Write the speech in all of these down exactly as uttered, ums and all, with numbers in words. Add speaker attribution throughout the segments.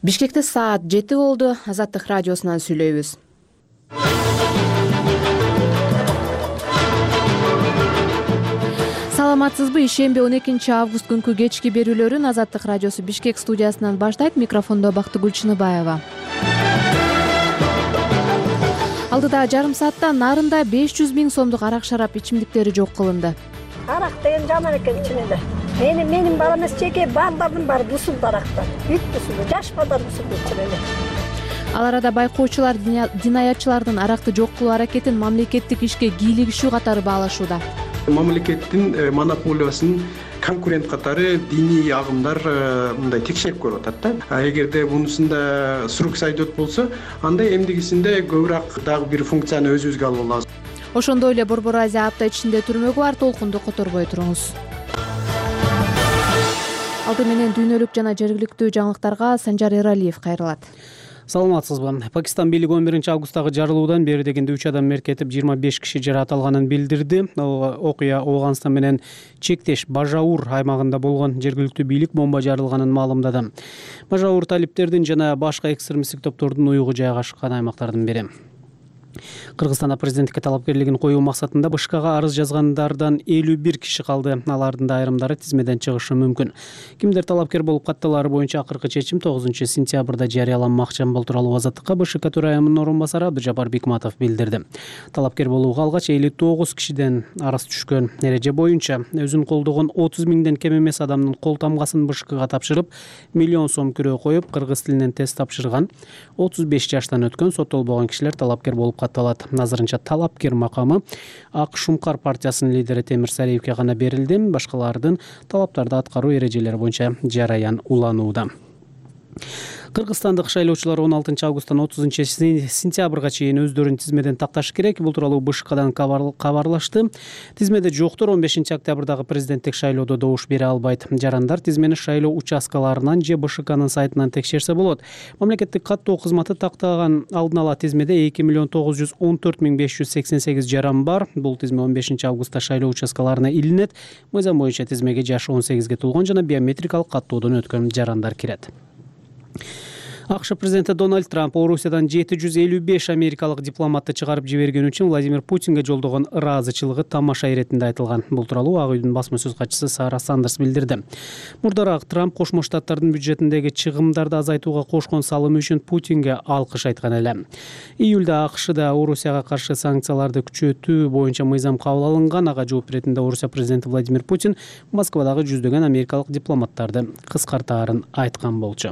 Speaker 1: Бишкекте саат жети болду. Азаттык радиосунан сүйлөйбүз. Саламатсызбы? Ишемби он экинчи август күнкү кечки берүүлөрүн Азаттык радиосу Бишкек студиясынан баштайт. Микрофондо Бактыгүл Чыныбаева. Алдыда жарым саатта нарында беш жүз миң сомдук арак шарап ичимдиктери жок кылынды.
Speaker 2: Арак деген жаман экен ичинде. Менин менин бала эмес, жеке балдардын баары бусулду арактан. Бүт бусулду, жаш балдар бусулду ичинде.
Speaker 1: Ал арада байкоочулар динаятчылардын аракты жок кылуу аракетин мамлекеттик ишке кийлигишүү катары баалашууда.
Speaker 3: Мамлекеттин монополиясын конкурент катары диний агымдар мындай текшерип көрүп атат да. Эгерде мунусунда срок сайдот болсо, анда эмдигисинде көбүрөөк дагы бир функцияны өзүбүзгө алып алабыз.
Speaker 1: Ошондой эле Борбор Азия апта ичинде түрмөгү бар. Толкунду которбой туруңуз. Алды менен дүйнөлүк жана жергиликтүү жаңылыктарга Санжар Эралиев кайрылат.
Speaker 4: Саламатсызбы? Пакистан бийлиги он биринчи августтагы жарылуудан бери дегенде үч адам мерт этип, жыйырма беш киши жаракат алганын билдирди. Окуя Ооганстан менен чектеш Бажаур аймагында болгон. Жергиликтүү бийлик бомба жарылганын маалымдады. Бажаур талиптердин жана башка экстремисттик топтордун уюгу жайгашкан аймактардын бири. Кыргызстанда президенттикке талапкерлигин коюу максатында БШКга арыз жазгандардан элүү бир киши калды. Алардын да айрымдары тизмеден чыгышы мүмкүн. Кимдер талапкер болуп катталары боюнча акыркы чечим тогузунчу сентябрда жарыяланмакчы. Бул тууралуу Азаттыкка БШК төрайымынын орун басары Абдыжапар Бикматов билдирди. Талапкер болууга алгач элүү тогуз кишиден арыз түшкөн. Эреже боюнча өзүн колдогон отуз миңден кем эмес адамдын кол тамгасын БШКга тапшырып, миллион сом күрөө коюп, кыргыз тилинен тест тапшырган отуз беш жаштан өткөн соттолбогон кишилер талапкер болуп катталат. Азырынча талапкер макамы Ак Шумкар партиясынын лидери Темир Сариевке гана берилди. Башкалардын талаптарды аткаруу эрежелери боюнча жараян уланууда. Кыргызстандык шайлоочулар он алтынчы августтан отузунчу сентябрга чейин өздөрүн тизмеден такташы керек. Бул тууралуу БШКдан кабарлашты. Тизмеде жоктор он бешинчи октябрдагы президенттик шайлоодо добуш бере албайт. Жарандар тизмени шайлоо участкаларынан же БШКнын сайтынан текшерсе болот. Мамлекеттик каттоо кызматы тактаган алдын ала тизмеде эки миллион тогуз жүз он төрт миң беш жүз сексен сегиз жаран бар. Бул тизме он бешинчи августта шайлоо участкаларына илинет. Мыйзам боюнча тизмеге жашы он сегизге толгон жана биометрикалык каттоодон өткөн жарандар кирет. АКШ президенти Дональд Трамп Орусиядан жети жүз элүү беш америкалык дипломатты чыгарып жибергени үчүн Владимир Путинге жолдогон ыраазычылыгы тамаша иретинде айтылган. Бул тууралуу Ак үйдүн басма сөз катчысы Сара Сандерс билдирди. Мурдараак Трамп Кошмо Штаттардын бюджетиндеги чыгымдарды азайтууга кошкон салымы үчүн Путинге алкыш айткан эле. Июлда АКШда Орусияга каршы санкцияларды күчөтүү боюнча мыйзам кабыл алынган. Ага жооп иретинде Орусия президенти Владимир Путин Москвадагы жүздөгөн америкалык дипломаттарды кыскартаарын айткан болчу.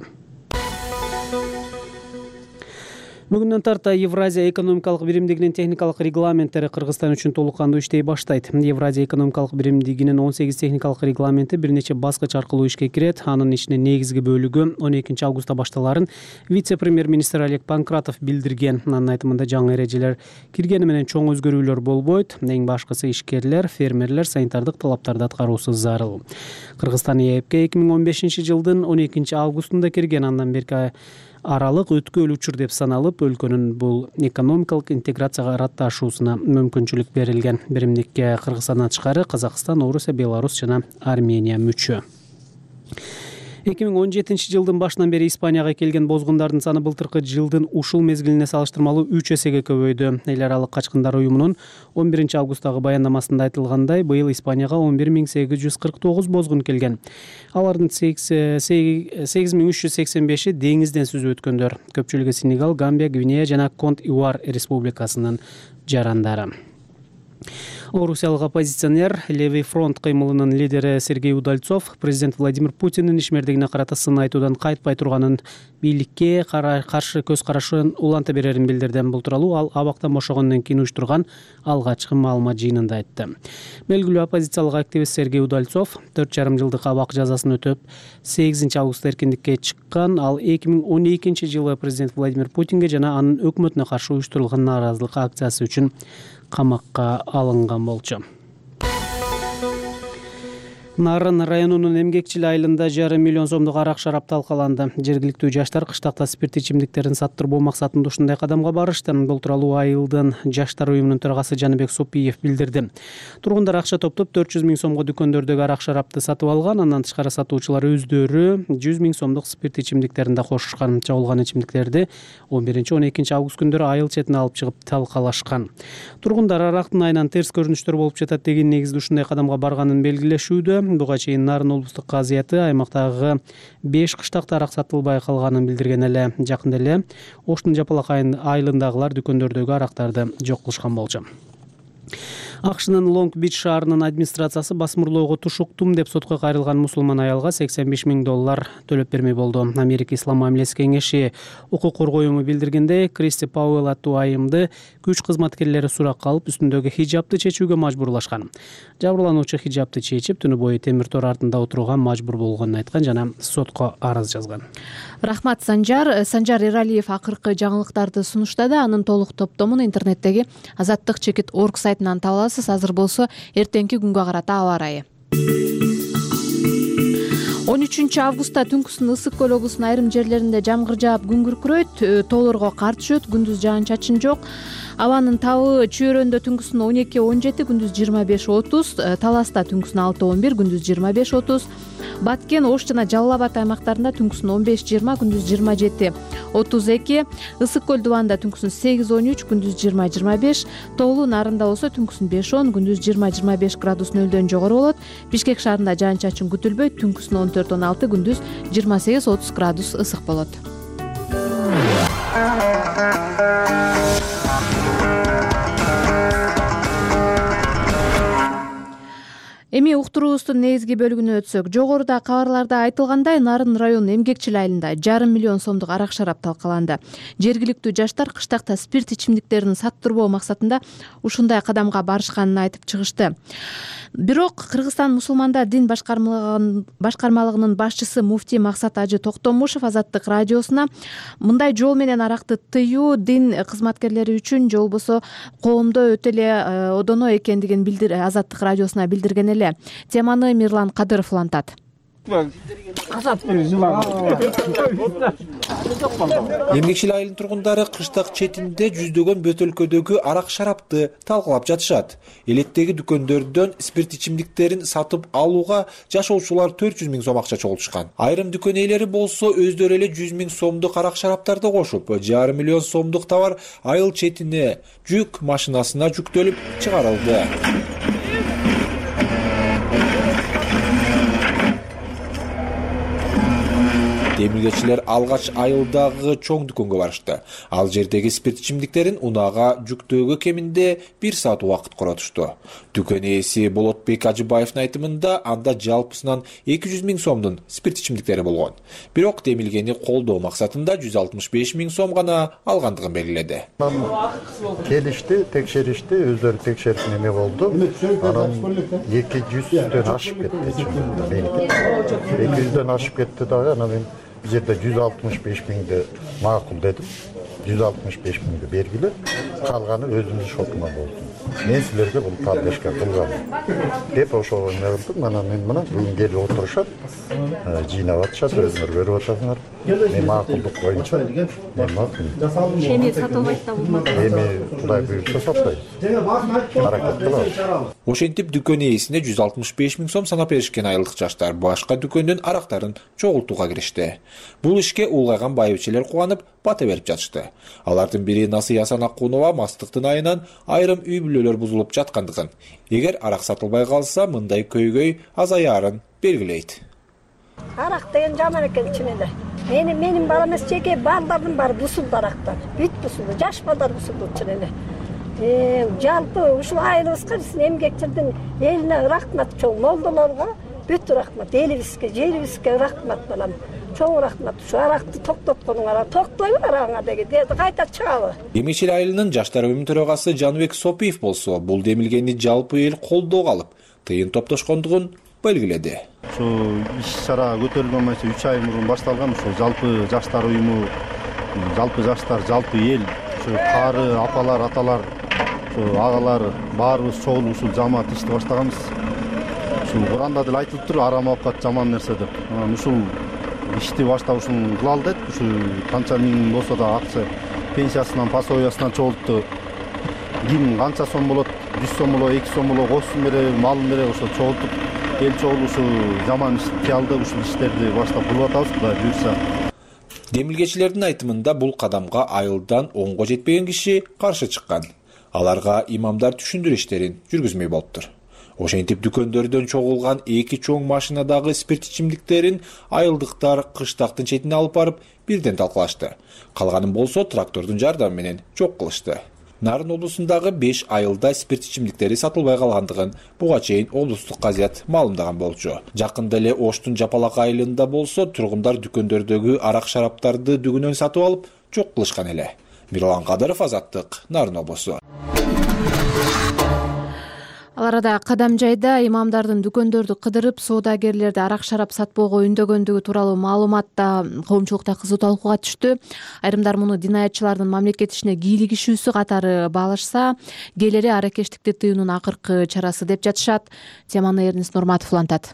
Speaker 4: Бүгүндөн тарта Евразия экономикалык биримдигинин техникалык регламенттери Кыргызстан үчүн толук кандуу иштей баштайт. Евразия экономикалык биримдигинин он сегиз техникалык регламенти бир нече баскыч аркылуу ишке кирет. Анын ичинин негизги бөлүгү он экинчи августта башталарын вице-премьер-министр Олег Панкратов билдирген. Анын айтымында жаңы эрежелер киргени менен чоң өзгөрүүлөр болбойт. Эң башкысы ишкерлер, фермерлер санитардык талаптарды аткаруусу зарыл. Кыргызстан ЕЭПке эки миң он бешинчи жылдын он экинчи августунда кирген. Андан берки аралык өткөл учур деп саналып, өлкөнүн бул экономикалык интеграцияга ыратташуусуна мүмкүнчүлүк берилген. Биримдикке Кыргызстандан тышкары Казакстан, Орусия, Беларусь жана Армения мүчө. эки миң он жетинчи жылдын башынан бери Испанияга келген бозгундардын саны былтыркы жылдын ушул мезгилине салыштырмалуу үч эсеге көбөйдү. Эл аралык качкындар уюмунун он биринчи августтагы баяндамасында айтылгандай, быйыл Испанияга он бир миң сегиз жүз кырк тогуз бозгун келген. Алардын сегиз миң үч жүз сексен беши деңизден сүзүп өткөндөр. Көпчүлүгү Сенегал, Гамбия, Гвинея жана Конт-Ивуар республикасынын жарандары. Орусиялык оппозиционер Левый фронт кыймылынын лидери Сергей Удальцов президент Владимир Путиндин ишмердигине карата сын айтуудан кайтпай турганын, бийликке каршы көз карашын уланта берерин билдирди. Бул тууралуу ал абактан бошогондон кийин уюштурган алгачкы маалымат жыйынында айтты. Белгилүү оппозициялык активист Сергей Удальцов төрт жарым жылдык абак жазасын өтөп, сегизинчи августта эркиндикке чыккан. Ал эки миң он экинчи жылы президент Владимир Путинге жана анын өкмөтүнө каршы уюштурулган нааразылык акциясы үчүн камакка алынган болчу. Нарын районунун Эмгекчил айылында жарым миллион сомдук арак шарап талкаланды. Жергиликтүү жаштар кыштакта спирт ичимдиктерин саттырбоо максатында ушундай кадамга барышты. Бул тууралуу айылдын жаштар уюмунун төрагасы Жаныбек Сопиев билдирди. Тургундар акча топтоп төрт жүз миң сомго дүкөндөрдөгү арак шарапты сатып алган. Андан тышкары сатуучулар өздөрү жүз миң сомдук спирт ичимдиктерин да кошушкан. Чабылган ичимдиктерди он биринчи он экинчи август күндөрү айыл четине алып чыгып талкалашкан. Тургундар арактын айынан терс көрүнүштөр болуп жатат деген негизде ушундай кадамга барганын белгилешүүдө. Буга чейин Нарын облустук казыяты аймактагы беш кыштакта арак сатылбай калганын билдирген эле. Жакында эле Оштун Жапалак айылындагылар дүкөндөрдөгү арактарды жок кылышкан болчу. АКШнын Лонг-Бич шаарынын администрациясы басмырлоого тушуктум деп сотко кайрылган мусулман аялга сексен беш миң доллар төлөп бермей болду. Америка Ислам мамилеси кеңеши укук коргоо уюму билдиргендей, Кристи Пауэлл аттуу айымды күч кызматкерлери суракка алып, үстүндөгү хижабты чечүүгө мажбурлашкан. Жабырлануучу хижабты чечип, түнү бою темир тор артында отурууга мажбур болгонун айткан жана сотко арыз жазган.
Speaker 1: Рахмат Санжар. Санжар Эралиев акыркы жаңылыктарды сунуштады. Анын толук топтомун интернеттеги азаттык чекит точка орг сайтынан таба аласыз. Азыр болсо эртеңки күнгө карата аба ырайы. он үчүнчү августта түнкүсүн Ысык көл облусунун айрым жерлеринде жамгыр жаап күн күркүрөйт, тоолорго кар түшөт, күндүз жаан-чачын жок. Абанын табы Чүйөрөндө түнкүсүн он эки он жети, күндүз жыйырма беш отуз, Таласта түнкүсүн алты он бир, күндүз жыйырма беш отуз, Баткен, Ош жана Жалал Абад аймактарында түнкүсүн он беш жыйырма, күндүз жыйырма жети отуз эки, Ысык көл дубанында түнкүсүн сегиз он үч, күндүз жыйырма жыйырма беш, Тоолуу Нарында болсо түнкүсүн беш он, күндүз жыйырма жыйырма беш градус нөлдөн жогору болот. Бишкек шаарында жаан-чачын күтүлбөйт, түнкүсүн он төрт он алты, күндүз жыйырма сегиз отуз градус ысык болот. Эми уктуруубуздун негизги бөлүгүнө өтсөк, жогоруда кабарларда айтылгандай, Нарын районунун Эмгекчил айылында жарым миллион сомдук арак шарап талкаланды. Жергиликтүү жаштар кыштакта спирт ичимдиктерин саттырбоо максатында ушундай кадамга барышканын айтып чыгышты. Бирок Кыргызстан мусулмандар дин башкармалыгынын башчысы муфтий Максат Ажы Токтомушев Азаттык радиосуна мындай жол менен аракты тыюу дин кызматкерлери үчүн же болбосо коомдо өтө эле одоно экендигин билдир Азаттык радиосуна билдирген эле. Теманы Мирлан Кадыров улантат.
Speaker 5: Эмгекчил айылынын тургундары кыштак четинде жүздөгөн бөтөлкөдөгү арак шарапты талкалап жатышат. Элеттеги дүкөндөрдөн спирт ичимдиктерин сатып алууга жашоочулар төрт жүз миң сом акча чогултушкан. Айрым дүкөн ээлери болсо өздөрү эле жүз миң сомдук арак шараптарды кошуп, жарым миллион сомдук товар айыл четине жүк машинасына жүктөлүп чыгарылды. Демилгечилер алгач айылдагы чоң дүкөнгө барышты. Ал жердеги спирт ичимдиктерин унаага жүктөөгө кеминде бир саат убакыт коротушту. Дүкөн ээси Болотбек Ажыбаевдин айтымында анда жалпысынан эки жүз миң сомдун спирт ичимдиктери болгон. Бирок демилгени колдоо максатында жүз алтымыш беш миң сом гана алгандыгын белгиледи.
Speaker 6: Келишти, текшеришти, өздөрү текшерип неме болду. Анан эки жүздөн ашып кетти. эки жүздөн ашып кетти дагы, анан мен бул жерде жүз алтымыш беш миңди макул дедим. жүз алтымыш беш миңди бергиле, калганы өзүмдүн шотума болду. Мен силерге бул поддержка кылгам деп ошого эме кылдым. Анан мен мына бүгүн келип отурушат, жыйнап атышат, өзүңөр көрүп атасыңар. Мен макулдук боюнча эми
Speaker 1: сатылбайт да болмок.
Speaker 6: Эми Кудай буйрса сатпайбыз. Аракет кылабыз.
Speaker 5: Ошентип дүкөн ээсине жүз алтымыш беш миң сом санап беришкен айылдык жаштар башка дүкөндөн арактарын чогултууга киришти. Бул ишке улгайган байбичелер кубанып, бата берип жатышты. Алардын бири Насыя Санакунова мастыктын айынан айрым үй бүлөлөр бузулуп жаткандыгын, эгер арак сатылбай калса мындай көйгөй азаярын белгилейт.
Speaker 2: Арак деген жаман экен чынында. Менин менин балам эмес, жеке балдардын баары бусулду арактан. Бүт бусулду, жаш балдар бусулду чынында. Э, жалпы ушул айылыбызга Эмгекчилдин элине рахмат, чоң молдолорго бүт рахмат, элибизге, жерибизге рахмат балам. Чоң рахмат. Ушу аракты токтотконуңар, токтойбу араңа деген, кайта чыгабы.
Speaker 5: Эмгекчил айылынын жаштар уюмунун төрагасы Жаныбек Сопиев болсо, бул демилгени жалпы эл колдоого алып, тыйын топтошкондугун белгиледи.
Speaker 6: Ушу иш-чара көтөрүлгөн үч ай мурун башталган. Ушу жалпы жаштар уюму, жалпы жаштар, жалпы эл, ушу кары, апалар, аталар, ушу агалар баарыбыз чогулуп ушул жамаат ишти баштаганбыз.
Speaker 7: ушул Куранда деле айтылыптыр, арам оокат жаман нерсе деп. Анан ушул ишти баштабышын кыла алдык. Ушул канча миң болсо да акча пенсиясынан, пособиясынан чогултtu. Ким канча сом болот, жүз сом болобу, эки сом болобу, косун береби, малын береби, ошо чогултуп эл чогулуп ушул жаман кыялды ушул иштерди баштап кылып атабыз, Кудай буйрса.
Speaker 5: Демилгечилердин айтымында бул кадамга айылдан онго жетпеген киши каршы чыккан. Аларга имамдар түшүндүрүү иштерин жүргүзмөй болуптур. Ошентип дүкөндөрдөн чогулган эки чоң машинадагы спирт ичимдиктерин айылдыктар кыштактын четине алып барып бирден талкалашты. Калганын болсо трактордун жардамы менен жок кылышты. Нарын облусундагы беш айылда спирт ичимдиктери сатылбай калгандыгын буга чейин облустук газет маалымдаган болчу. Жакында эле Оштун Жапалак айылында болсо тургундар дүкөндөрдөгү арак шараптарды дүгүнөн сатып алып жок кылышкан эле. Мирлан Кадыров, Азаттык, Нарын облусу.
Speaker 1: Ал арада Кадам жайда имамдардын дүкөндөрдү кыдырып, соодагерлерди арак шарап сатпоого үндөгөндүгү тууралуу маалымат да коомчулукта кызуу талкууга түштү. Айрымдар муну динаятчылардын мамлекет ишине кийлигишүүсү катары баалашса, кээлери аракештикти тыюунун акыркы чарасы деп жатышат. Теманы Эрнис Нурматов улантат.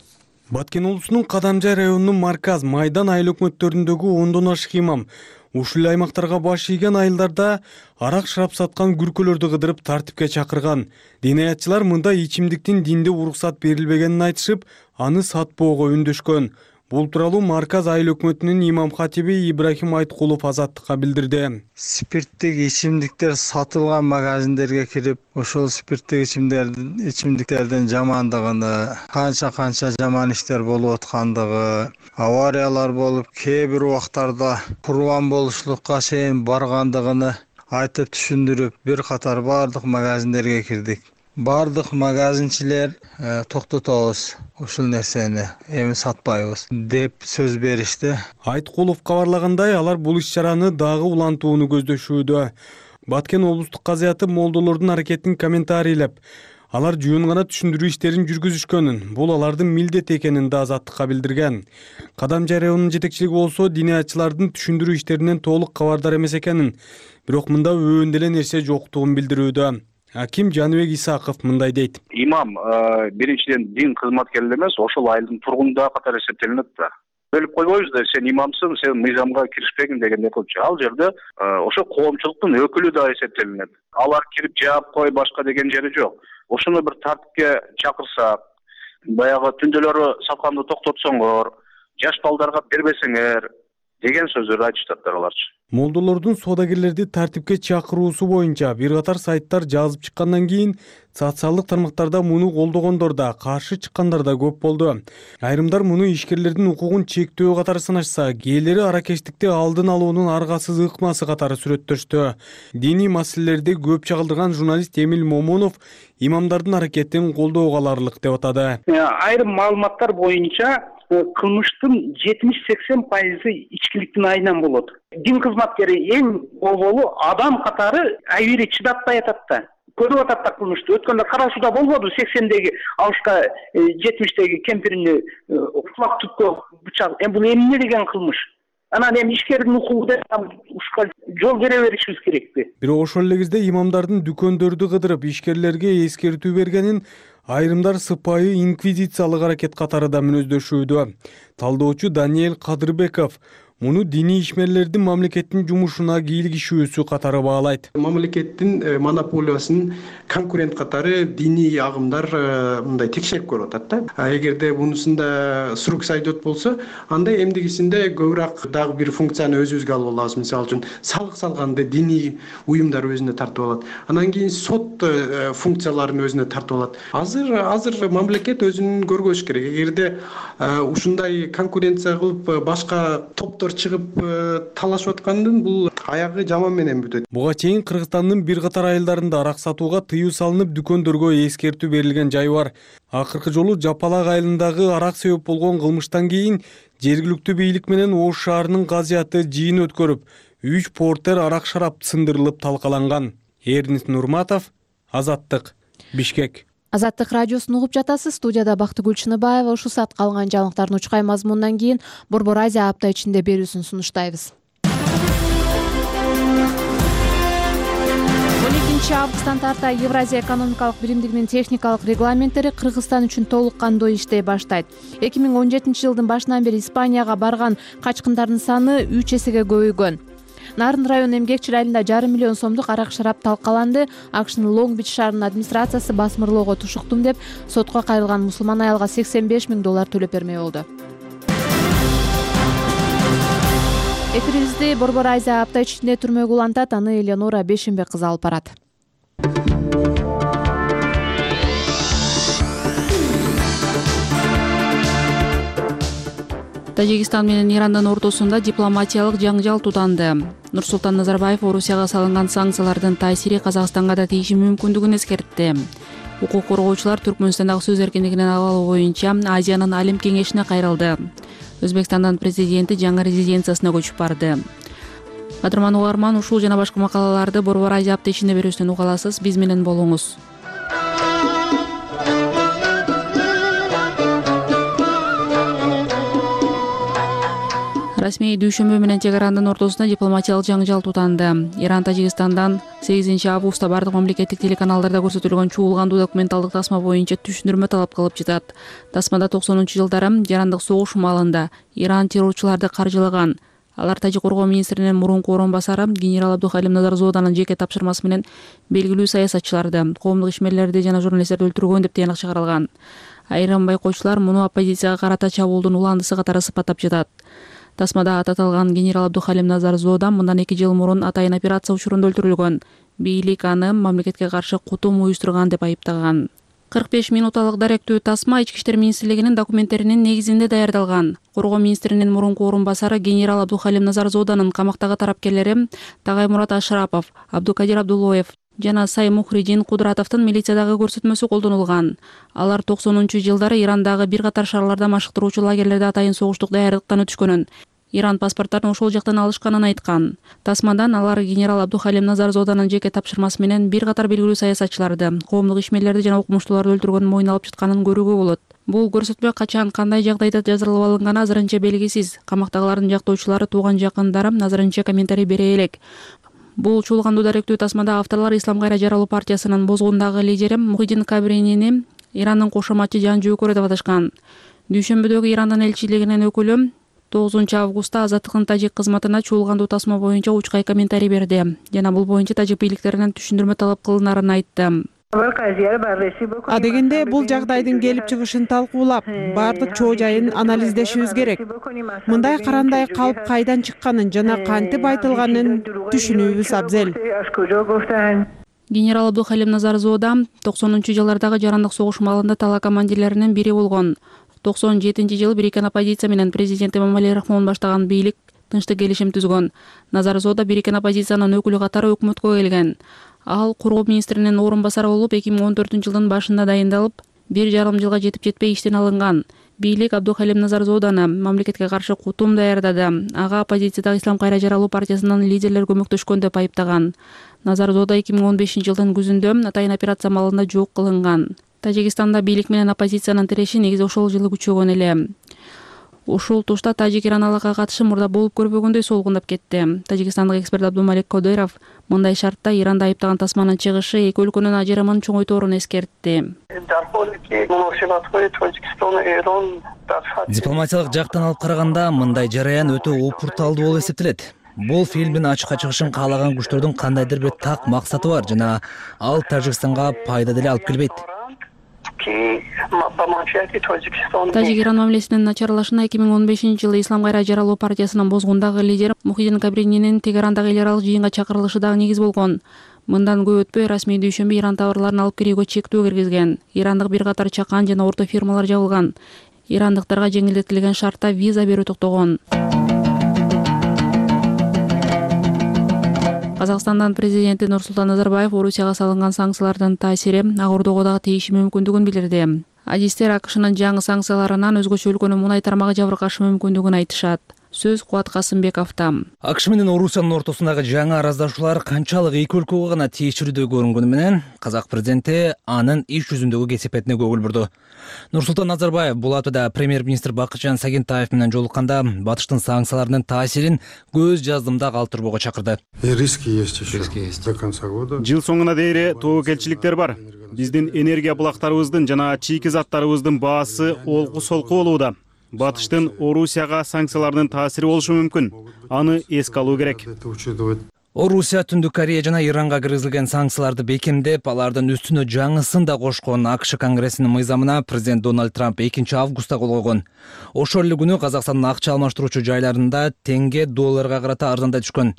Speaker 8: Баткен облусунун Кадамжай районунун Марказ, Майдан айыл өкмөттөрүндөгү ондон ашык имам ушул аймактарга баш ийген айылдарда арак шарап саткан күркөлөрдү кыдырып тартипке чакырган. Динаятчылар мында ичимдиктин динде уруксат берилбегенин айтышып, аны сатпоого үндөшкөн. Бул тууралуу Марказ айыл өкмөтүнүн имам хатиби Ибрахим Айткулов Азаттыкка билдирди.
Speaker 9: Спирттик ичимдиктер сатылган магазиндерге кирип, ошол спирттик ичимдиктердин ичимдиктердин жамандыгын, канча-канча жаман иштер болуп аткандыгы, авариялар болуп, кээ бир убактарда курбан болушлукка чейин баргандыгын айтып түшүндүрүп, бир катар бардык магазиндерге кирдик. Бардык магазинчилер токтотобуз, ушул нерсени эми сатпайбыз деп сөз беришти.
Speaker 8: Айткулов кабарлагандай, алар бул иш-чараны дагы улантууну көздөшүүдө. Баткен облустук казыяты молдолордун аракетин комментарийлеп, алар жуун гана түшүндүрүү иштерин жүргүзүшкөнүн, бул алардын милдети экенин да Азаттыкка билдирген. Кадамжай районунун жетекчилиги болсо динаятчылардын түшүндүрүү иштеринен толук кабардар эмес экенин, бирок мында өбөн деле нерсе жоктугун билдирүүдө. Аким Жаныбек Исаков мындай дейт.
Speaker 10: Имам биринчиден дин кызматкери эмес, ошол айылдын тургунда катары эсептелинет да. Бөлүп койбойбуз да, сен имамсың, сен мыйзамга киришпегин дегендей кылчу. Ал жерде ошо коомчулуктун өкүлү да эсептелинет. Алар кирип жаап кой, башка деген жери жок. Ошону бир тартипке чакырсак, баягы түндөлөрү сатканды токтотсоңор, жаш балдарга бербесеңер деген сөздөрдү айтыштаттар аларчы.
Speaker 8: Молдолордун соодагерлерди тартипке чакыруусу боюнча бир катар сайттар жазып чыккандан кийин социалдык тармактарда муну колдогондор да, каршы чыккандар да көп болду. Айрымдар муну ишкерлердин укугун чектөө катары санашса, кээлери аракештикти алдын алуунун аргасыз ыкмасы катары сүрөттөштү. Диний маселелерди көп чагылдырган журналист Эмил Момунов имамдардын аракетин колдоого аларлык деп атады.
Speaker 11: Айрым маалыматтар боюнча кылмыштын жетимиш сексен пайызы ичкиликтин айынан болот. Дин кызматкери эң болболу адам катары айбири чыдатпай атат да. Көрүп атат да кылмышты. Өткөндө кара сууда болбоду сексендеги алышка жетимиштеги кемпирини кулак түпкө бычак. Эми бул эмне деген кылмыш? Анан эми ишкердин укугу деп ушка жол бере беришибиз керекпи?
Speaker 8: Бирок ошол эле кезде имамдардын дүкөндөрдү кыдырып ишкерлерге эскертүү бергенин айрымдар сыпайы инквизициялык аракет катары да мүнөздөшүүдө. Талдоочу Даниэль Кадырбеков муну диний ишмерлердин мамлекеттин жумушуна кийлигишүүсү катары баалайт.
Speaker 3: Мамлекеттин монополиясын конкурент катары диний агымдар мындай текшерип көрүп атат да. Эгерде мунусунда срок сайдот болсо, анда эмдигисинде көбүрөөк дагы бир функцияны өзүбүзгө алып алабыз. Мисалы үчүн салык салганда диний уюмдар өзүнө тартып алат. Анан кийин сот функцияларын өзүнө тартып алат. Азыр азыр мамлекет өзүн көргөзүш керек. Эгерде ушундай конкуренция кылып башка топтор чыгып талашып аткандын бул аягы жаман менен бүтөт.
Speaker 8: Буга чейин Кыргызстандын бир катар айылдарында арак сатууга тыюу салынып, дүкөндөргө эскертүү берилген жай бар. Акыркы жолу Жапалак айылындагы арак себеп болгон кылмыштан кийин жергиликтүү бийлик менен Ош шаарынын казыяты жыйын өткөрүп, үч портер арак шарап сындырылып талкаланган. Эрнис Нурматов, Азаттык, Бишкек.
Speaker 1: Азаттык радиосун угуп жатасыз. Студияда Бактыгүл Чыныбаева. Ушул саат калган жаңылыктардын учкай мазмунунан кийин Борбор Азия апта ичинде берүүсүн сунуштайбыз. он экинчи биринчи августтан тарта Евразия экономикалык биримдигинин техникалык регламенттери Кыргызстан үчүн толук кандуу иштей баштайт. эки миң он жетинчи жылдын башынан бери Испанияга барган качкындардын саны үч эсеге көбөйгөн. Нарын район эмгекчил айылында жарым миллион сомдук арак шарап талкаланды. АКШнын Лонг-Бич шаарынын администрациясы басмырлоого тушуктум деп сотко кайрылган мусулман аялга сексен беш миң доллар төлөп бермей болду. Эфирибизди Борбор Айза апта ичинде түрмөгө улантат, аны Элеонора Бешенбек кызы алып барат.
Speaker 12: Тажикстан менен Ирандын ортосунда дипломатиялык жаңжал тутанды. Нурсултан Назарбаев Орусияга салынган санкциялардын таасири Казакстанга да тийиши мүмкүндүгүн эскертти. Укук коргоочулар Түркмөнстандагы сөз эркиндигинин абалы боюнча Азиянын Алим кеңешине кайрылды. Өзбекстандын президенти жаңы резиденциясына көчүп барды. Кадырман угарман, ушул жана башка макалаларды Борбор Азия апта ичинде берүүсүн уга аласыз. Биз менен болуңуз. Расмий дүйшөмбү менен чек Ирандын ортосунда дипломатиялык жаңжал тутанды. Иран Тажикстандан сегизинчи августта бардык мамлекеттик телеканалдарда көрсөтүлгөн чуулгандуу документалдык тасма боюнча түшүндүрмө талап кылып жатат. Тасмада токсонунчу жылдары Ирандык согуш маалында Иран террорчуларды каржылаган. Алар Тажик коргоо министринин мурунку орун басары генерал Абдухалим Назарзоданын жеке тапшырмасы менен белгилүү саясатчыларды, коомдук ишмерлерди жана журналисттерди өлтүргөн деп тыянак чыгарылган. Айрым байкоочулар муну оппозицияга карата чабуулдун уландысы катары сыпаттап жатат. Тасмада аты аталган генерал Абдухалим Назарзода мындан эки жыл мурун атайын операция учурунда өлтүрүлгөн. Бийлик аны мамлекетке каршы кутум уюштурган деп айыптаган. кырк беш минуталык даректүү тасма Ички иштер министрлигинин документтеринин негизинде даярдалган. Коргоо министринин мурунку орун басары генерал Абдухалим Назарзоданын камактагы тарапкерлери Тагаймурат Ашрапов, Абдукадир Абдулоев жана Сай Мухридин Кудратовдун милициядагы көрсөтмөсү колдонулган. Алар токсонунчу жылдары Ирандагы бир катар шаарларда машыктыруучу лагерлерде атайын согуштук даярдыктан өтүшкөнүн, Иран паспорттарын ошол жактан алышканын айткан. Тасмадан алар генерал Абдухалим Назарзоданын жеке тапшырмасы менен бир катар белгилүү саясатчыларды, коомдук ишмерлерди жана окумуштууларды өлтүргөнүн мойнуна алып жатканын көрүүгө болот. Бул көрсөтмө качан, кандай жагдайда жаздырылып алынганы азырынча белгисиз. Камактагылардын жактоочулары, тууган жакындары азырынча комментарий бере элек. Бул чуулгандуу даректүү тасмада авторлор Ислам Кайра жаралуу партиясынын бозгундагы лидери Мухиддин Кабринини Ирандын кошоматчы жан жөөкөрү деп аташкан. Дүйшөмбүдөгү Ирандын элчилигинин өкүлү тогузунчу августта Азаттыктын тажик кызматына чуулгандуу тасма боюнча учкай комментарий берди жана бул боюнча тажик бийликтеринен түшүндүрмө талап кылынарын айтты.
Speaker 13: Адегенде бул жагдайдын келип чыгышын талкуулап, бардык чоо жайын анализдешибиз керек. Мындай карандай калп кайдан чыкканын жана кантип айтылганын түшүнүүбүз абзел.
Speaker 12: Генерал Абдухалим Назарзода токсонунчу жылдардагы жарандык согуш маалында тала командирлеринин бири болгон. токсон жетинчи жылы бириккен оппозиция менен президент Эмомали Рахмон баштаган бийлик тынчтык келишим түзгөн. Назарзода бириккен оппозициянын өкүлү катары өкмөткө келген. Ал коргоо министринин орун басары болуп эки миң он төртүнчү жылдын башында дайындалып, бир жарым жылга жетип жетпей иштен алынган. Бийлик Абдухалим Назарзоданы мамлекетке каршы кутум даярдады. Ага оппозициядагы Ислам Кайра жаралуу партиясынын лидерлери көмөктөшкөн деп айыптаган. Назарзода эки миң он бешинчи жылдын күзүндө атайын операция маалында жок кылынган. Тажикстанда бийлик менен оппозициянын тиреши негизи ошол жылы күчөгөн эле. Ушул тушта Тажик-Иран алакага катышы мурда болуп көрбөгөндөй солгундап кетти. Тажикстандык эксперт Абдумалик Кодыров мындай шартта Иранда айыптаган тасманын чыгышы эки өлкөнүн ажырамын чоңойторун эскертти.
Speaker 14: Дипломатиялык жактан алып караганда мындай жараян өтө опурталдуу болуп эсептелет. Бул фильмдин ачыкка чыгышын каалаган күчтөрдүн кандайдыр бир так максаты бар жана ал Тажикстанга пайда деле алып келбейт.
Speaker 12: Тажик-Иран мамилесинин начарлашына эки миң он бешинчи жылы Ислам Кайра жаралуу партиясынын бозгундагы лидери Мухиддин Кабрининин Тегерандагы эл аралык жыйынга чакырылышы дагы негиз болгон. Мындан көп өтпөй расмий дүйшөмбү Иран товарларын алып кирүүгө чектөө киргизген. Ирандык бир катар чакан жана орто фирмалар жабылган. Ирандыктарга жеңилдетилген шартта виза берүү токтогон. Казакстандын президенти Нурсултан Назарбаев Орусияга салынган санкциялардын таасири ак ордого дагы тийиши мүмкүндүгүн билдирди. Адистер АКШнын жаңы санкцияларынан өзгөчө өлкөнүн мунай тармагы жабыркашы мүмкүндүгүн айтышат. Сөз Кубат Касымбековдо.
Speaker 14: АКШ менен Орусиянын ортосундагы жаңы араздашуулар канчалык эки өлкөгө гана тиешелүү көрүнгөнү менен казак президенти анын иш жүзүндөгү кесепетине көңүл бурду. Нурсултан Назарбаев бул аптада премьер-министр Бакытжан Сагентаев менен жолукканда Батыштын санкцияларынын таасирин көз жаздымда калтырбоого чакырды.
Speaker 15: Риски есть еще. Риски есть. До конца года. Жыл соңуна дейин тобокелчиликтер бар. Биздин энергия булактарыбыздын жана чийки заттарыбыздын баасы олку солку болууда. Батыштын Орусияга санкцияларынын таасири болушу мүмкүн. Аны эске алуу керек.
Speaker 14: Орусия, Түндүк Корея жана Иранга киргизилген санкцияларды бекемдеп, алардын үстүнө жаңысын да кошкон АКШ Конгрессинин мыйзамына президент Дональд Трамп экинчи августта кол койгон. Ошол эле күнү Казакстандын акча алмаштыруучу жайларында теңге долларга карата арзандай түшкөн.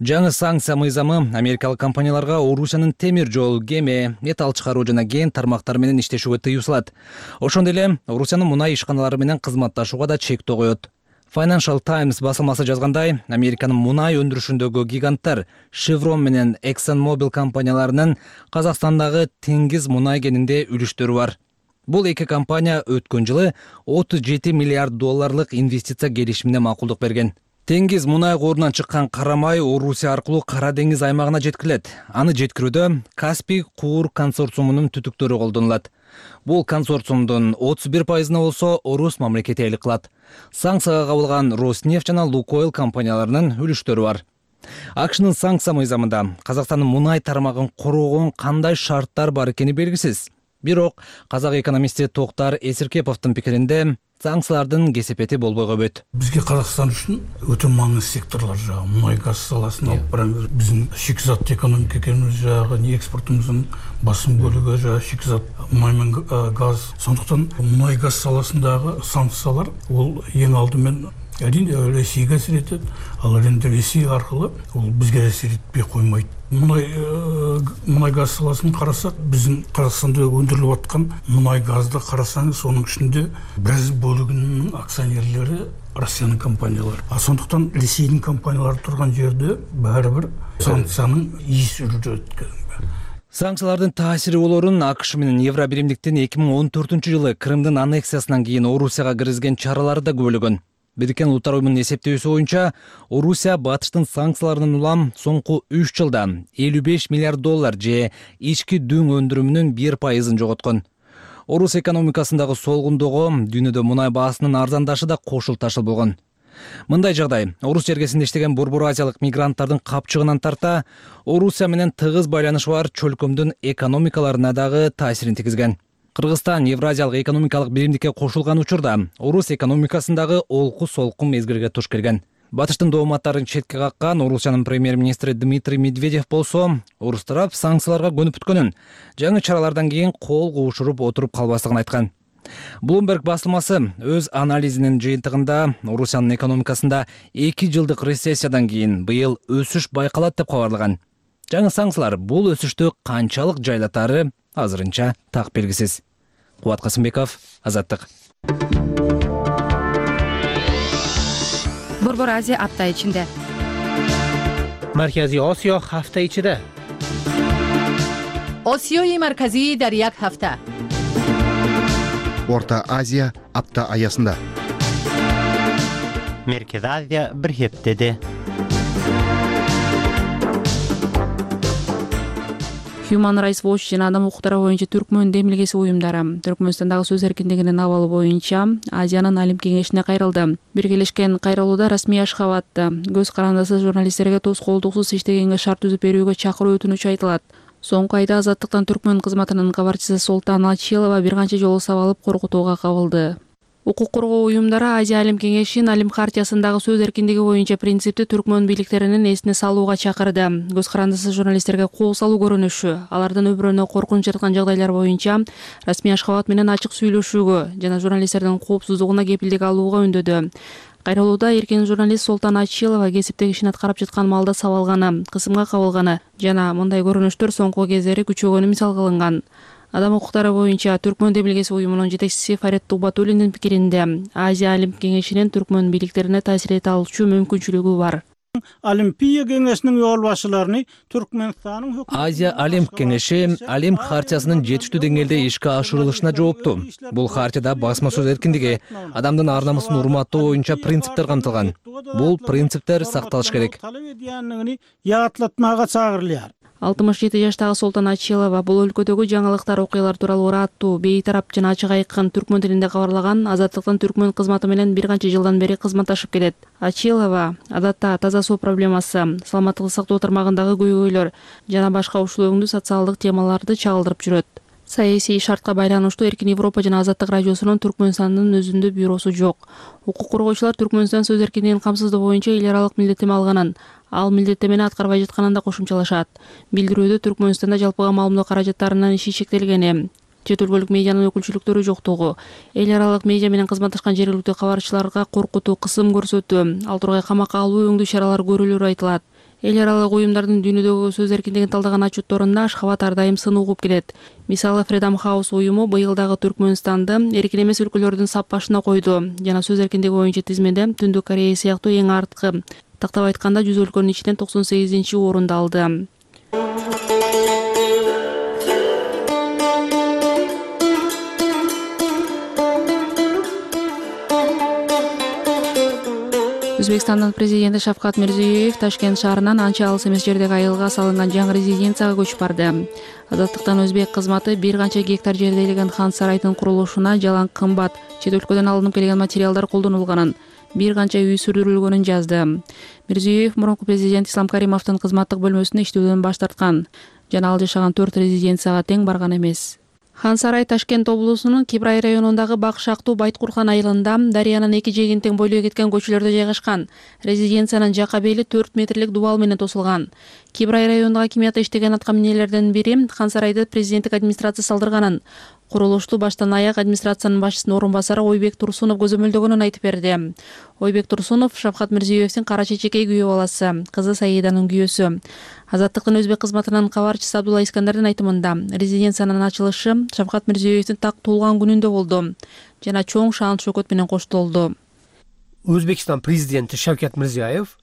Speaker 14: Жаңы санкция мыйзамы америкалык компанияларга Орусиянын темир жол, кеме, металл чыгаруу жана кен тармактары менен иштешүүгө тыюу салат. Ошондой эле Орусиянын мунай ишканалары менен кызматташууга да чектөө коет. Financial Times басылмасы жазгандай, Американын мунай өндүрүшүндөгү гиганттар Chevron менен ExxonMobil компанияларынын Казакстандагы теңиз мунай кенинде үлүштөрү бар. Бул эки компания өткөн жылы отуз жети миллиард долларлык инвестиция келишимине макулдук берген. Теңиз мунай корунан чыккан кара май Орусия аркылуу Кара деңиз аймагына жеткирилет. Аны жеткирүүдө Каспий Куур консорциумунун түтүктөрү колдонулат. Бул консорциумдун отуз бир пайызына болсо Орус мамлекети ээлик кылат. Санкцияга кабылган Роснефть жана Лукойл компанияларынын үлүштөрү бар. АКШнын санкция мыйзамында Казакстандын мунай тармагын коргогон кандай шарттар бар экени белгисиз. Бирок казак экономисти Токтар Эсиркеповдун пикиринде санкциялардын кесепети болбой койбойт.
Speaker 16: Бизге Казакстан үчүн өтө маңызды секторлор жагы мунай газ саласын алып барабыз. Биздин шикизат экономика экенибиз жагы, экспортубуздун басым бөлүгү жагы шикизат май менен газ. Сондуктан мунай газ саласындагы санкциялар ол эң алдымен әрине Ресейге әсер етет, ал енді Ресей арқылы ол бізге әсер етпей қоймайды. Мұнай мұнай газ саласын қарасақ, біздің Қазақстанда өндіріліп жатқан мұнай газды қарасаңыз, соның ішінде біраз бөлігінің акционерлері Россияның компаниялары. А сондықтан Ресейдің компаниялары тұрған жерде бәрібір санкцияның иісі жүреді.
Speaker 14: Санкциялардын таасири болорун АКШ менен Евробиримдиктин эки миң он төртүнчү жылы Крымдын аннексиясынан кийин Орусияга киргизген чаралары да көбөлөгөн. Бириккен Улуттар уюмунун эсептөөсү боюнча, Орусия Батыштын санкцияларынан улам соңку үч жылда элүү беш миллиард доллар же ички дүң өндүрүмүнүн бир пайызын жоготкон. Орус экономикасындагы солгундоого дүйнөдө мунай баасынын арзандашы да кошул ташыл болгон. Мындай жагдай Орус жергесинде иштеген Борбор Азиялык мигранттардын капчыгынан тарта, Орусия менен тыгыз байланышы бар чөлкөмдүн экономикаларына дагы таасирин тийгизген. Кыргызстан Евразиялык экономикалык биримдикке кошулган учурда Орус экономикасындагы олку солкун мезгилге туш келген. Батыштын дооматтарын четке каккан Орусиянын премьер-министри Дмитрий Медведев болсо, Орус тарап санкцияларга көнүп бүткөнүн, жаңы чаралардан кийин кол куушуруп отуруп калбастыгын айткан. Bloomberg басылмасы өз анализинин жыйынтыгында Орусиянын экономикасында эки жылдык рецессиядан кийин быйыл өсүш байкалат деп кабарлаган. Жаңы санкциялар бул өсүштү канчалык жайлатары азырынча так белгисиз. Кубат Касымбеков, Азаттык.
Speaker 17: Борбор Азия апта ичинде.
Speaker 18: Марказий Осиё ҳафта ичида.
Speaker 17: Осиёи марказӣ дар як ҳафта.
Speaker 19: Орта Азия апта аясында.
Speaker 18: Merkezi Азия bir heftede.
Speaker 12: Human Rights Watch жана адам укуктары боюнча Түркмөн демилгеси уюмдары Түркмөнстандагы сөз эркиндигинин абалы боюнча Азиянын Алим кеңешине кайрылды. Биргелешкен кайрылууда Расмий Ашхабадда көз карандысыз журналисттерге тоскоолдуксуз иштегенге шарт түзүп берүүгө чакыруу өтүнүч айтылат. Соңку айда Азаттыктан Түркмөн кызматынын кабарчысы Солтан Ачилова бир канча жолу сабалып коркутууга кабылды. Укук коргоо уюмдары Азия Алим кеңешинин Алим хартиясындагы сөз эркиндиги боюнча принципти Түркмөн бийликтеринин эсине салууга чакырды. Көз карандысыз журналисттерге кол салуу көрүнүшү, алардын өмүрүнө коркунуч жараткан жагдайлар боюнча Расмий Ашхабад менен ачык сүйлөшүүгө жана журналисттердин коопсуздугуна кепилдик алууга үндөдү. Кайрылууда эркин журналист Солтан Ачилова кесиптеги ишин аткарып жаткан маалда сабалганы, кысымга кабылганы жана мындай көрүнүштөр соңку кездери күчөгөнү мисал кылынган. Адам укуктары боюнча Түркмөн демилгеси уюмунун жетекчиси Фарет Тубатуллиндин пикиринде Азия Алим кеңешинин Түркмөн бийликтерине таасир эте алчу мүмкүнчүлүгү бар.
Speaker 16: Олимпия кеңешинин өл башчыларын Түркмөнстандын
Speaker 14: Азия Олимп кеңеши Олимп хартиясынын жетиштүү деңгээлде ишке ашырылышына жооптуу. Бул хартияда басма сөз эркиндиги, адамдын ар намысын урматтоо боюнча принциптер камтылган. Бул принциптер сакталыш керек.
Speaker 12: алтымыш жети жаштагы Солтан Ачилова бул өлкөдөгү жаңылыктар, окуялар тууралуу ыраттуу, бейтарап жана ачык айткан түркмөн тилинде кабарлаган. Азаттыктын түркмөн кызматы менен бир канча жылдан бери кызматташып келет. Ачилова адатта таза суу проблемасы, саламаттыкты сактоо тармагындагы көйгөйлөр жана башка ушул өңдүү социалдык темаларды чагылдырып жүрөт. Саясий шартка байланыштуу Эркин Европа жана Азаттык радиосунун Түркмөнстандын өзүндө бюросу жок. Укук коргоочулар Түркмөнстан сөз эркиндигин камсыздоо боюнча эл аралык милдеттеме алганын, ал милдеттемени аткарбай жатканын да кошумчалашат. Билдирүүдө Түркмөнстанда жалпыга маалымдоо каражаттарынын иши чектелгени, чет өлкөлүк медианын өкүлчүлүктөрү жоктугу, эл аралык медиа менен кызматташкан жергиликтүү кабарчыларга коркутуу, кысым көрсөтүү, ал тургай камакка алуу өңдүү чаралар көрүлөрү айтылат. Эл аралык уюмдардын дүйнөдөгү сөз эркиндигин талдаган отчетторунда Ашхабад ар дайым сын угуп келет. Мисалы, Freedom House уюму быйыл дагы Түркмөнстанды эркин эмес өлкөлөрдүн сап башына койду жана сөз эркиндиги боюнча тизмеде Түндүк Корея сыяктуу эң арткы, тактап айтканда жүз өлкөнүн ичинен токсон сегизинчи орунду алды. Өзбекстандын президенти Шавкат Мирзиёев Ташкент шаарынан анча алыс эмес жердеги айылга салынган жаңы резиденцияга көчүп барды. Азаттыктан өзбек кызматы бир канча гектар жерде элеген хан сарайдын курулушуна жалаң кымбат, чет өлкөдөн алынып келген материалдар колдонулганын, бир канча үй сүрдүрүлгөнүн жазды. Мирзиёев мурунку президент Ислам Каримовдун кызматтык бөлмөсүндө иштөөдөн баш тарткан жана ал жашаган төрт резиденцияга тең барган эмес. Хан сарай Ташкент облусунун Кибрай районундагы Бакшактуу Байткурхан айылында дарыянын эки жээгин тең бойлой кеткен көчөлөрдө жайгашкан. Резиденциянын жака бели төрт метрлик дубал менен тосулган. Кибрай районундагы акимиятта иштеген аткаминерлердин бири хан сарайды президенттик администрация салдырганын, курулушту баштан аяк администрациянын башчысынын орун басары Ойбек Турсунов көзөмөлдөгөнүн айтып берди. Ойбек Турсунов Шавкат Мирзиёевдин кара чечекей күйөө баласы, кызы Саиданын күйөөсү. Азаттыктын өзбек кызматынын кабарчысы Абдулла Искандардын айтымында, резиденциянын ачылышы Шавкат Мирзиёевдин так туулган күнүндө болду жана чоң шаан шөкөт менен коштолду.
Speaker 20: Өзбекстан президенти Шавкат Мирзиёев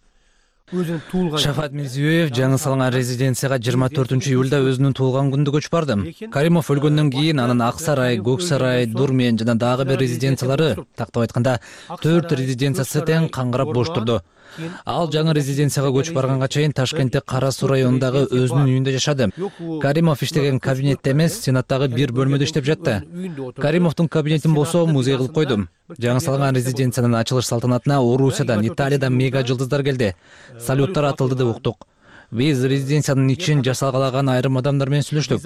Speaker 20: өзүнүн туулган
Speaker 14: Шавкат Мирзиёев жаңы салынган резиденцияга жыйырма төртүнчү июлда өзүнүн туулган күнүндө көчүп барды. Каримов өлгөндөн кийин анын Ак сарай, Көк сарай, Дурмен жана дагы бир резиденциялары, тактап айтканда төрт резиденциясы тең каңгырап бош турду. Ал жаңы резиденцияга көчүп барганга чейин Ташкентте Кара Суу районундагы өзүнүн үйүндө жашады. Каримов иштеген кабинетте эмес, Сенаттагы бир бөлмөдө иштеп жатты. Каримовдун кабинетин болсо музей кылып койдум. Жаңы салынган резиденциянын ачылыш салтанатына Орусиядан, Италиядан мега жылдыздар келди. Салюттар атылды деп уктук. Биз резиденциянын ичин жасалгалаган айрым адамдар менен сүйлөштүк.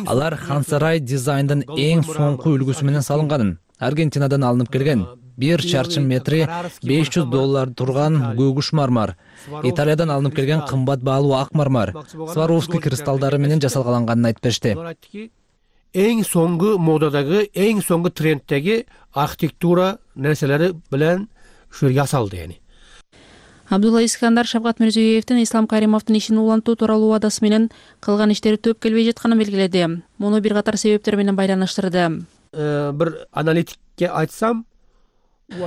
Speaker 14: Алар хан сарай дизайндын эң соңку үлгүсү менен салынганын, Аргентинадан алынып келген, бир чарчы метри беш жүз доллар турган көгүш мармар, Италиядан алынып келген кымбат баалуу ак мармар, Сваровский кристалдары менен жасалганын айтып беришти.
Speaker 20: Эң соңку модадагы, эң соңку тренддеги архитектура нерселери менен ушу жасалды эни.
Speaker 12: Абдулла Искандар Шавкат Мирзиёевдин Ислам Каримовдун ишин улантуу тууралуу убадасы менен кылган иштери төп келбей жатканын белгиледи. Муну бир катар себептер менен байланыштырды.
Speaker 20: Бир аналитикке айтсам,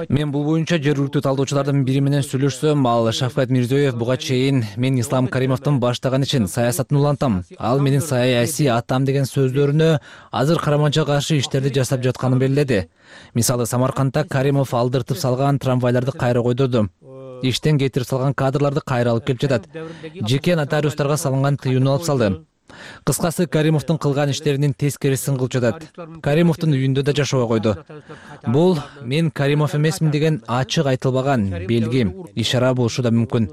Speaker 14: мен бул боюнча жергиликтүү талдоочулардын бири менен сүйлөшсөм, ал Шавкат Мирзиёев буга чейин мен Ислам Каримовдун баштаган ишин, саясатын улантам, ал менин саясий атам деген сөздөрүнө азыр караманча каршы иштерди жасап жатканын белгиледи. Мисалы, Самаркандда Каримов алдыртып салган трамвайларды кайра койдурду. Иштен кетирип салган кадрларды кайра алып келип жатат. Жеке нотариустарга салынган тыюуну алып салды. Кыскасы, Каримовдун кылган иштеринин тескерисин кылып жатат. Каримовдун үйүндө да жашоого койду. Бул мен Каримов эмесмин деген ачык айтылбаган белги, ишара болушу да мүмкүн.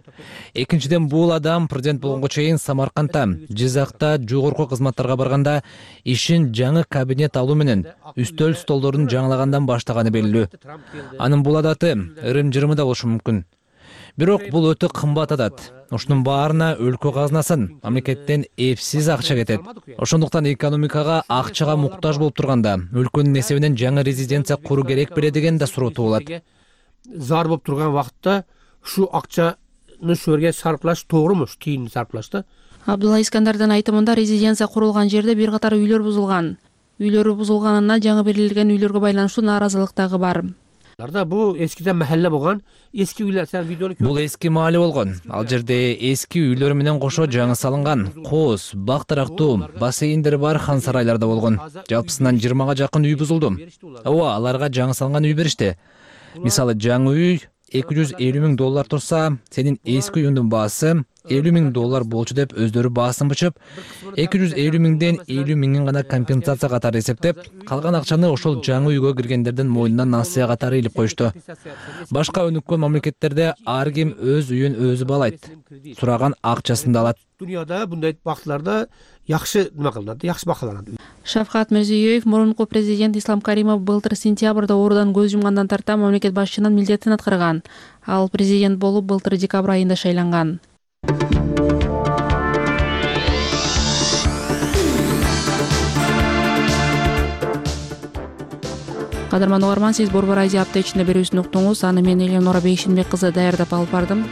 Speaker 14: Экинчиден, бул адам президент болгонго чейин Самаркандта, Жизакта жогорку кызматтарга барганда ишин жаңы кабинет алуу менен үстөл столдорун жаңылагандан баштаганы белгилүү. Анын бул адаты ырым-жырымы да болушу мүмкүн. Бирок бул өтө кымбат адат. Ушунун баарына өлкө казынасынан, мамлекеттен эпсиз акча кетет. Ошондуктан экономикага акчага муктаж болуп турганда, өлкөнүн эсебинен жаңы резиденция куруу керек беле деген да суроо туулат.
Speaker 20: Зар болуп турган вакытта ушу акчаны ушу жерге сарплаш тоогуруму, ушу тийинди сарплаш да?
Speaker 12: Абдулла Искандардын айтымында резиденция курулган жерде бир катар үйлөр бузулган. Үйлөрү бузулганына жаңы берилген үйлөргө байланыштуу нааразылык дагы бар.
Speaker 20: бул эскиден махалла болгон эски үйлөр. Сен видеону
Speaker 14: бул эски маале болгон. Ал жерде эски үйлөр менен кошо жаңы салынган кооз, бак тарактуу, бассейндери бар хан сарайларда болгон. Жалпысынан жыйырмага жакын үй бузулду. Ооба, аларга жаңы салынган үй беришти. Мисалы жаңы үй эки жүз элүү миң доллар турса, сенин эски үйүңдүн баасы элүү миң доллар болчу деп өздөрү баасын бичип, эки жүз элүү миңден элүү миңин гана компенсация катары эсептеп, калган акчаны ошол жаңы үйгө киргендердин мойнуна насыя катары илип коюшту. Башка өнүккөн мамлекеттерде ар ким өз үйүн өзү баалайт. Сураган акчасын да алат.
Speaker 20: Дүйнөдө мындай бактыларда жакшы нема кылынат, жакшы бакаланат.
Speaker 12: Шавкат Мирзиёев мурунку президент Ислам Каримов былтыр сентябрда оорудан көз жумгандан тарта мамлекет башчынын милдетин аткарган. Ал президент болуп былтыр декабрь айында шайланган. Кадырман угарман, сиз Борбор Азия апта ичинде берүүсүн уктуңуз. Аны мен Элеонора Бейшенбек кызы даярдап алып бардым.